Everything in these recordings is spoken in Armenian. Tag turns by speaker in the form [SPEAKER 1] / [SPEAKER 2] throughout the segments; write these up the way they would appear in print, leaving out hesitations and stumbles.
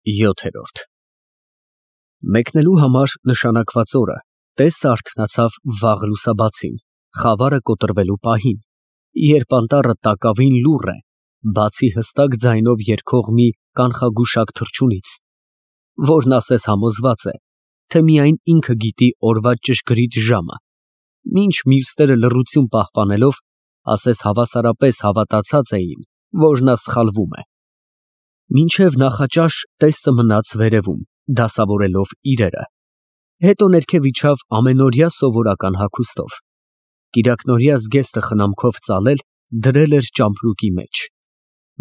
[SPEAKER 1] 7-րդ Մեկնելու համար նշանակված օրը Տեսը արթնացավ վաղ լուսաբացին, խավարը կոտրվելու պահին, երբ անտառը տակավին լուռ է, բացի հստակ ձայնով երգող մի կանխագուշակ թռչունից, որն ասես համոզված է, թե միայն ինքը գիտի օրվա ճշգրիտ ժամը, մինչ մյուսները լռություն պահպանելով, ասես հավասարապես հավատացած էին, որ նա սխալվում է։ Մինչև նախաճաշ Տեսը մնաց վերևում, դասավորելով իրերը, հետո ներքև իջավ ամենօրյա սովորական հագուստով, կիրակնօրյա զգեստը խնամքով ծալել դրել էր ճամպրուկի մեջ։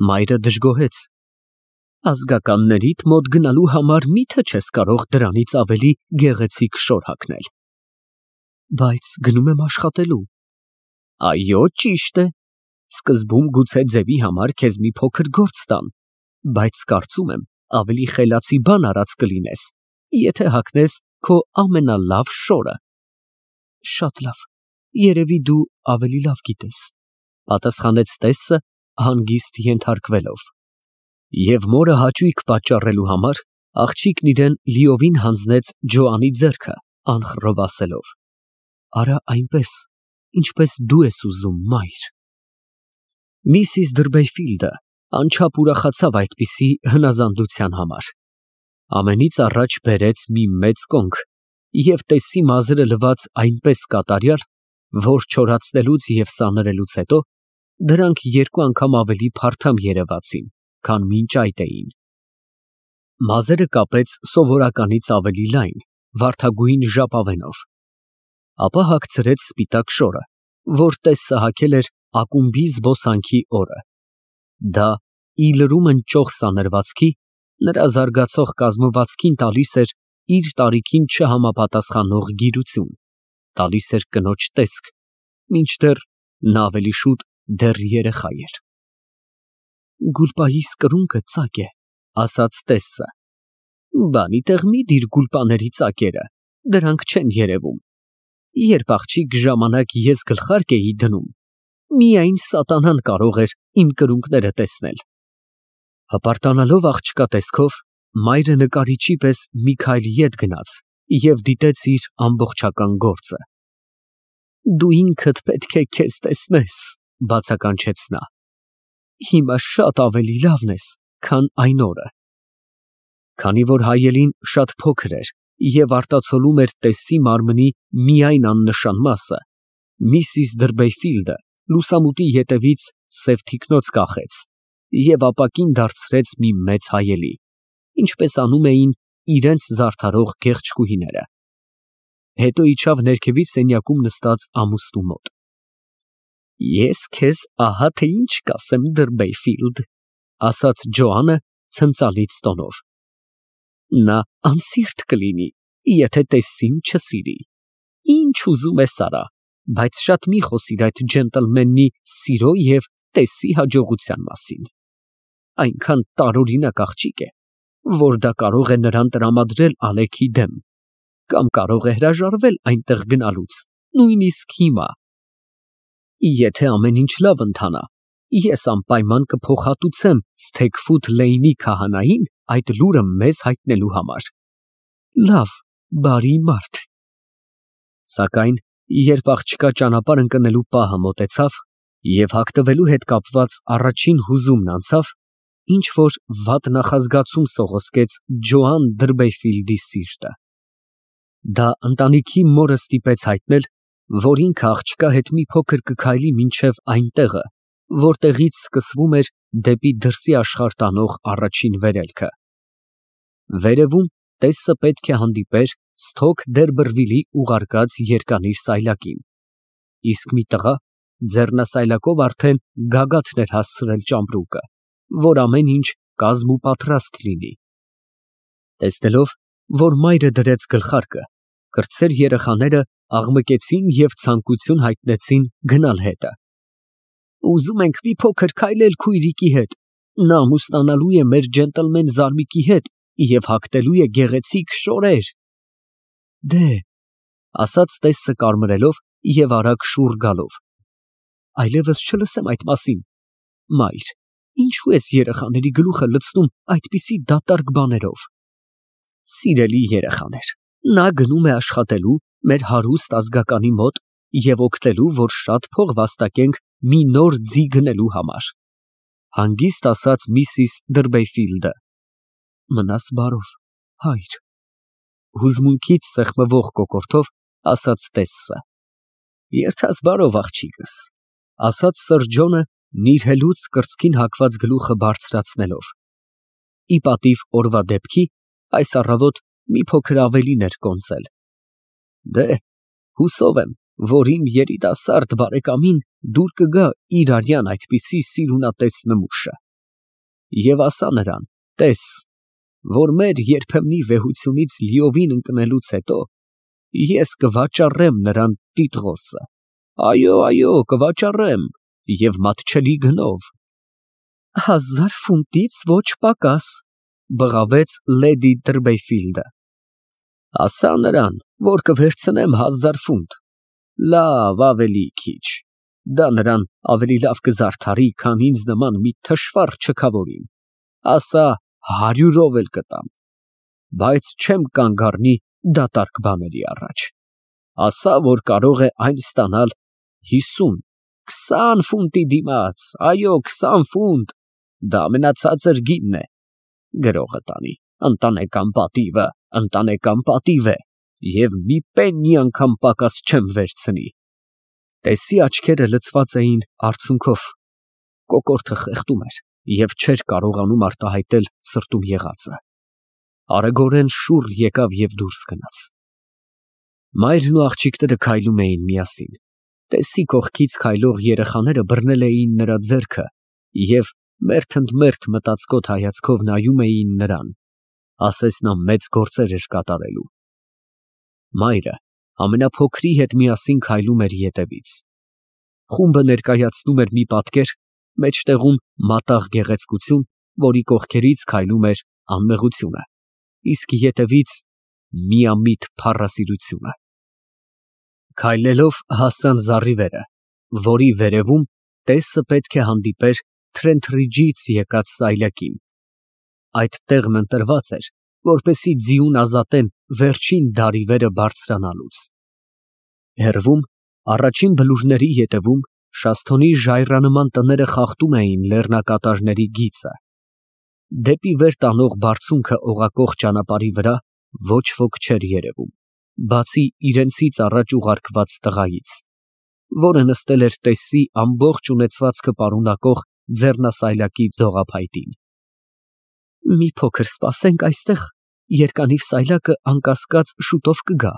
[SPEAKER 1] Մայրը դժգոհեց. ազգականներիդ մոտ գնալու համար մի՞թե չես կարող դրանից ավելի գեղեցիկ շոր հագնել։ Բայց գնում եմ աշխատելու։ Այո, ճիշտ է, սկզբում գուցե ձևի համար քեզ մի փոքր գործ տան, բայց կարծում եմ ավելի խելացի բան արած կլինես, եթե հագնես քո ամենալավ շորը։ Շատ լավ, երևի դու ավելի լավ գիտես, պատասխանեց Տեսը հանգիստ ենթարկվելով։ Եվ մորը հաճույք պատճառելու համար աղջիկն իրեն լիովին հանձնեց Ջոանի ձեռքը, անխռով ասելով. Արա այնպես, ինչպես դու ես ուզում, մայր։ Միսիս Դրբեյֆիլդը անչափ ուրախացավ այդպիսի հնազանդության համար։ Ամենից առաջ բերեց մի մեծ կոնք և Տեսի մազերը լված այնպես կատարյալ, որ չորացնելուց և սանրելուց հետո դրանք երկու անգամ ավելի փարթամ երևացին, քան մինչ այդ էին։ Մազերը կապեց սովորականից ավելի լայն, վարդագույն ժապավենով, ապա հագցրեց սպիտակ շորը, որ Տեսը հագել էր ակումբի զբոսանքի օրը։ Դա ի լրում ընճող սանրվածքի, նրա զարգացող կազմվածքին տալիս էր իր տարիքին չհամապատասխանող գիրություն, տալիս էր կնոջ տեսք, մինչդեռ նա ավելի շուտ դեռ երեխա էր։ Գուլպայիս կրունկը ծակ է, ասաց Տեսը։ Բանի տեղ մի դիր գուլպաների ծակերը, դրանք չեն երևում։ Երբ աղջիկ ժամանակ ես գլխարկ էի դնում, միայն սատանան կարող էր իմ կրունկները տեսնել։ Հպարտանալով աղջկա տեսքով, մայրը նկարիչի պես մի քայլ ետ գնաց և դիտեց իր ամբողջական գործը։ Դու ինքդ պետք է քեզ տեսնես, բացականչեց նա։ Հիմա շատ ավելի լավն ես, քան այն օրը։ Քանի որ հայելին շատ փոքր էր և արտացոլում էր Տեսի մարմնի միայն աննշան մասը, Միսիս Դրբեյֆիլդը լուսամուտի ետևից սև թիկնոց կախեց և ապակին դարձրեց մի մեծ հայելի, ինչպես անում էին իրենց զարդարող գեղեցկուհիները։ Հետո իջավ ներքևի սենյակում նստած ամուսնու մոտ։ Ես քեզ ահա թե ինչ կասեմ, Դրբեյֆիլդ, ասաց Ջոանը ցնծալից տոնով։ Նա անսիրտ կլինի, եթե Տեսին չսիրի։ Ինչ ուզում ես արա, բայց շատ մի խոսիր այդ ջենտլմենի սիրո և Տեսի հաջողության մասին։ Այնքան տարօրինակ աղջիկ է, որ դա կարող է նրան տրամադրել Ալեքի դեմ, կամ կարող է հրաժարվել այնտեղ գնալուց, նույնիսկ հիմա։ Եթե ամեն ինչ լավ ընթանա, ես անպայման կփոխհատուցեմ Սթեգֆութ Լեյնի քահանային այդ լուրը մեզ հայտնելու համար։ Լավ, բարի մարդ։ Սակայն երբ աղջկա ճանապարհ ընկնելու պահը մոտեցավ և հագնվելու հետ կապված առաջին հուզումն անցավ, ինչ որ վատ նախազգացում սողոսկեց Ջոան Դրբեյֆիլդի սիրտը։ Դա ընտանիքի մորը ստիպեց հայտնել, որ ինքը աղջկա հետ մի փոքր կքայլի մինչև այն տեղը, որտեղից սկսվում էր դեպի դրսի աշխարհ տանող առաջին վերելքը։ Վերևում Տեսը պետք է հանդիպեր Սթոք Դերբըրվիլի ուղարկած երկանիր սայլակին, իսկ մի տղա ձեռնասայլակով արդեն գագաթն էր հասցրել ճամպրուկը, որ ամեն ինչ կազմուպատրաստ լինի։ Տեսնելով, որ մայրը դրեց գլխարկը, կրտսեր երեխաները աղմկեցին և ցանկություն հայտնեցին գնալ հետը։ Ուզում ենք մի փոքր քայլել քույրիկի հետ, նա ամուսնանալու է մեր ջենտլմեն զարմիկի հետ և հագնելու է գեղեցիկ շորեր։ Դե, ասաց Տեսը կարմրելով և արագ շուռ գալով։ Այլևս չլսեմ այդ մասին, մայր, Ինչու ես երեխաների գլուխը լցնում այդպիսի դատարկ բաներով։ Սիրելի երեխաներ, նա գնում է աշխատելու մեր հարուստ ազգականի մոտ և օգնելու, որ շատ փող վաստակենք մի նոր ձի գնելու համար, հանգիստ ասաց միսիս Դրբեֆիլդը։ Մնաս բարով, հայր, հուզմունքից սեղմվող կոկորդով ասաց Տեսսը։ Երթաս բարով, աղջիկս, ասաց սըր Ջոնը նիրհելուց կրծքին հագված գլուխը բարձրացնելով։ Ի պատիվ օրվա դեպքի, այս առավոտ մի փոքր ավելին էր կոնսել։ Դե, հուսով եմ, որ իմ երիտասարդ բարեկամին դուր կգա իր արյան այդպիսի սիրունատես նմուշը։ Եվ ասա նրան, տես, որ մեր երբեմնի վեհությունից լիովին ընկնելուց հետո ես կվաճառեմ նրան Տիտղոսը, այո, կվաճառեմ և մատչելի գնով։ 1000 ֆունտից ոչ պակաս, բղավեց լեդի Տրբեֆիլդը։ Ասա նրան, որ կվերցնեմ 1000 ֆունտ, լավ, ավելի քիչ, դա նրան ավելի լավ կզարդարի, քան ինձ նման մի թշվառ չքավորին, ասա 100-ով էլ կտամ, բայց չեմ կանգ առնի դատարկ բաների առաջ, ասա, որ կարող է այն ստանալ 50, 20 ֆունտի դիմաց, այո, 20 ֆունտ, դա ամենացածր գինն է, գրողը տանի, ընտանեկան պատիվ է, և մի պեննի անգամ պակաս չեմ վերցնի։ Տեսի աչքերը լցված էին արցունքով, կոկորդը խեղդում էր և չէր կարողանում արտահայտել սրտում եղածը։ Արագորեն շուռ եկավ և դուրս գնաց։ Մայրն ու աղջիկները քայլում էին միասին։ Տեսի կողքից քայլող երեխաները բռնել էին նրա ձեռքը և մերթընդմերթ մտածկոտ հայացքով նայում էին նրան, ասես նա մեծ գործեր էր կատարելու։ Մայրը ամենափոքրի հետ միասին քայլում էր ետևից։ Խումբը ներկայացնում էր մի պատկեր, մեջտեղում մատաղ գեղեցկություն, որի կողքերից քայլում էր անմեղությունը, իսկ ետևից միամիտ փառասիրությունը։ Քայլելով հասան զառիվերը, որի վերևում Տեսը պետք է հանդիպեր Թրենթրիջից եկած սայլակին։ Այդ տեղն ընտրված էր, որպեսզի ձիուն ազատեն վերջին դարիվերը բարձրանալուց։ Հեռվում, առաջին բլուրների ետևում, շասթոնի ժայռանման տները խախտում էին լեռնակատարների գիծը։ Դեպի վեր տանող բարձունքը օղակող ճանապարհի վրա ոչ ոք չէր երևում, բացի իրենցից առաջ ուղարկված տղայից, որը նստել էր Տեսսի ամբողջ ունեցվածքը պարունակող ձեռնասայլակի ձողափայտին։ Մի փոքր սպասենք այստեղ, երկանիվ սայլակը անկասկած շուտով կգա։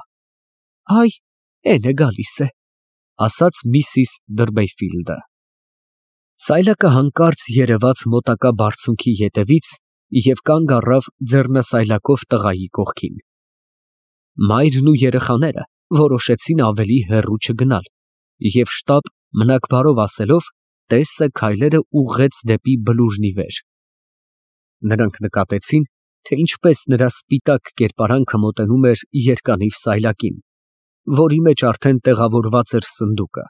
[SPEAKER 1] Այ, էն է գալիս է, ասաց միսիս Դրբեֆիլդը։ Սայլակը հանկարծ երևաց մոտակա բարձունքի ետևից և կանգ առավ ձեռնասայլակով տղայի կողքին։ Մայրն ու երեխաները որոշեցին ավելի հեռու չգնալ և շտապ մնաք բարով ասելով, Տեսսը քայլերը ուղղեց դեպի բլուրն ի վեր։ Նրանք նկատեցին, թե ինչպես նրա սպիտակ կերպարանքը մոտենում էր երկանիվ սայլակին, որի մեջ արդեն տեղավորված էր սնդուկը,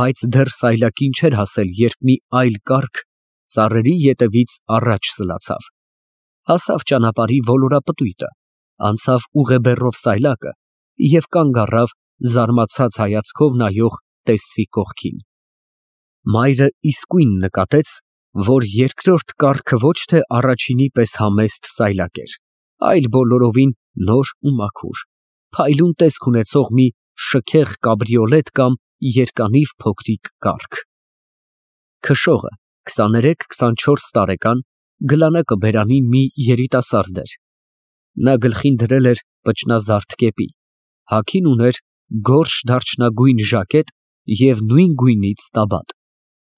[SPEAKER 1] բայց դեռ սայլակին չէր հասել, երբ մի այլ կառք ծառերի ետևից առաջ սլացավ, հասավ ճանապարհի ոլորապտույտը, անցավ ուղեբեռով սայլակը և կանգ առավ զարմացած հայացքով նայող Տեսսի կողքին։ Մայրը իսկույն նկատեց, որ երկրորդ կառքը ոչ թե առաջինի պես համեստ սայլակ էր, այլ բոլորովին նոր ու մաքուր, փայլուն տեսք ունեցող մի շքեղ կաբրիոլետ կամ երկանիվ փոքրիկ կառք։ Քշողը 23-24 տարեկան գլանակը բերանին մի երիտասարդ էր։ Նա գլխին դրել էր պճնազարդ կեպի, հագին ուներ գորշ դարչնագույն ժակետ և նույն գույնից տաբատ,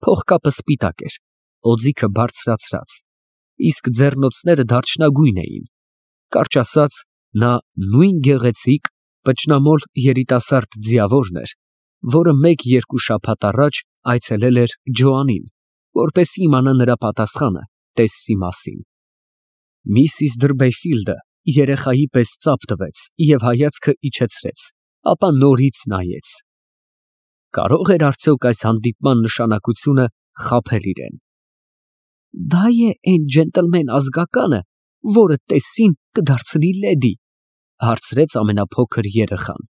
[SPEAKER 1] փողկապը սպիտակ էր, օձիքը բարձրացրած, իսկ ձեռնոցները դարչնագույն էին, կարճ ասած, նա նույն գեղեցիկ պճնամոլ երիտասարդ ձիավորն էր, որը 1-2 շաբաթ առաջ այցելել էր Ջոանին, որպեսզի իմանա նրա պատասխանը Տեսսի մասին։ Միսիս Դրբեֆիլդը երեխայի պես ծափ տվեց և հայացքը իջեցրեց, ապա նորից նայեց։ Կարո՞ղ էր արդյոք այս հանդիպման նշանակությունը խաբել իրեն։ Դա է այն ջենտլմեն ազգականը, որը Տեսսին կդարձնի լեդի, հարցրեց ամենափոքր երեխան։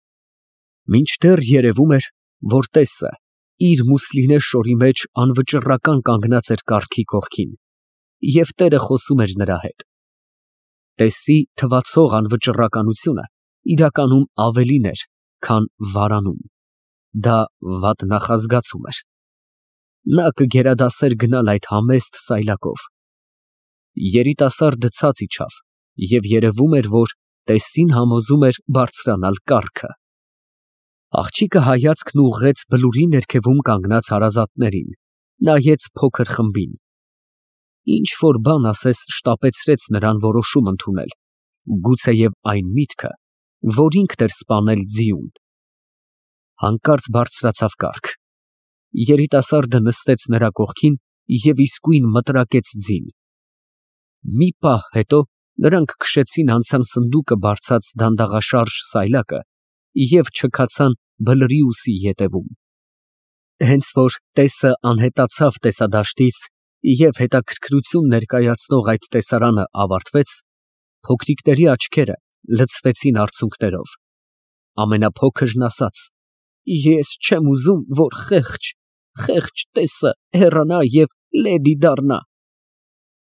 [SPEAKER 1] Մինչդեռ երևում էր, որ Տեսսը իր մուսլինե շորի մեջ անվճռական կանգնած էր կառքի կողքին, և տերը խոսում էր նրա հետ։ Տեսսի թվացող անվճռականությունը իրականում ավելին էր, քան վարանում։ Դա վատ նախազգացում էր։ Նա կգերադասեր գնալ այդ համեստ սայլակով։ Երիտասարդը ցած իջավ, և երևում էր, որ Տեսսին համոզում էր բարձրանալ կառքը։ Աղջիկը հայացքն ուղղեց բլուրի ներքևում կանգնած հարազատներին, նայեց փոքր խմբին։ Ինչ որ բան ասես շտապեցրեց նրան որոշում ընդունել, գուցեև այն միտքը, որ ինքն էր սպանել ձիուն։ Հանկարծ բարձրացավ կառք։ Երիտասարդը նստեց նրա կողքին և իսկույն մտրակեց ձին։ Մի պահ հետո նրանք քշեցին անցան սնդուկը բարձած դանդաղաշարժ սայլակը և չքացան բլրի ետևում։ Հենց որ Տեսսը անհետացավ տեսադաշտից և հետաքրքրություն ներկայացնող այդ տեսարանը ավարտվեց, փոքրիկների աչքերը լցվեցին արցունքներով։ Ամենափոքրն ասաց. «Ես չեմ ուզում, որ խեղճ Տեսսը հեռանա և լեդի դառնա»,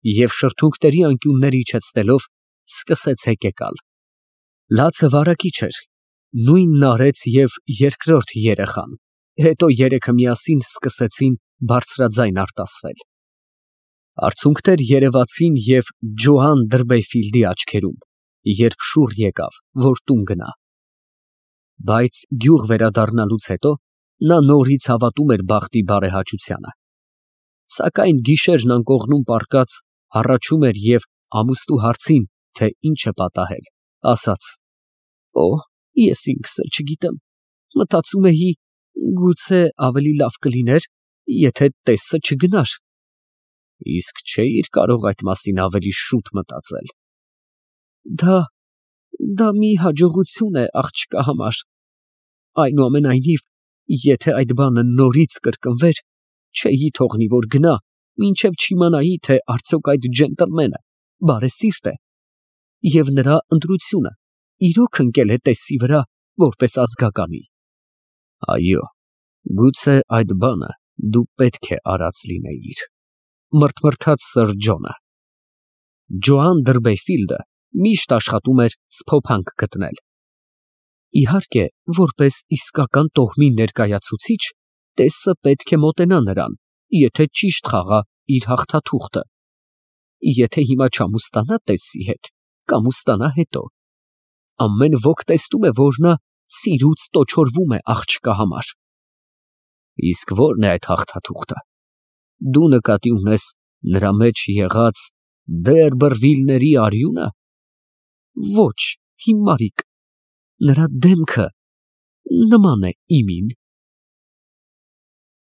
[SPEAKER 1] և շրթունքների անկյուններ իջեցնելով սկսեց հեկեկալ։ Լացը վարակիչ էր, նույնն արեց և երկրորդ երեխան, հետո երեքը միասին սկսեցին բարձրաձայն արտասվել։ Արցունքներ երևացին և Ջոան Դրբեֆիլդի աչքերում, երբ շուռ եկավ, որ տուն գնա։ Բայց գյուղ վերադառնալուց հետո նա նորից հավատում էր բախտի բարեհաճությանը։ Սակայն գիշերն անկողնում պառկած հառաչում էր և ամուսնու հարցին, թե ինչ է պատահել, ասաց. «Օ, ես ինքս էլ չգիտեմ, մտածում էի, գուցե ավելի լավ կլիներ, եթե Տեսսը չգնար»։ Իսկ չէի՞ր կարող այդ մասին ավելի շուտ մտածել։ Դա մի հաջողություն է աղջկա համար։ Այնուամենայնիվ, եթե այդ բանը նորից կրկնվեր, չէի թողնի, որ գնա, մինչև չիմանայի, թե արդյոք այդ ջենտլմենը բարեսիրտ է, և նրա ընտրությունը իրոք ընկել է Տեսսի վրա որպես ազգականի։ Այո, գուցե այդ բանը դու պետք է արած լինեիր, մռթմռթաց սըր Ջոնը։ Ջոան Դրբեֆիլդը միշտ աշխատում էր սփոփանք գտնել։ Իհարկե, որպես իսկական տոհմի ներկայացուցիչ, Տեսսը պետք է մոտենա նրան, եթե ճիշտ խաղա իր հաղթաթուղթը։ Եթե հիմա չամուսնանա Տեսսի հետ, կամուսնանա հետո։ Ամեն ոք տեսնում է, որ նա սիրուց տոչորվում է աղջկա համար։ Իսկ ո՞րն է այդ հաղթաթուղթը։ Դու նկատի ունես նրա մեջ եղած Դերբրվիլների արյո՞ւնը։ Ոչ, հիմարիկ, նրա դեմքը նման է իմին։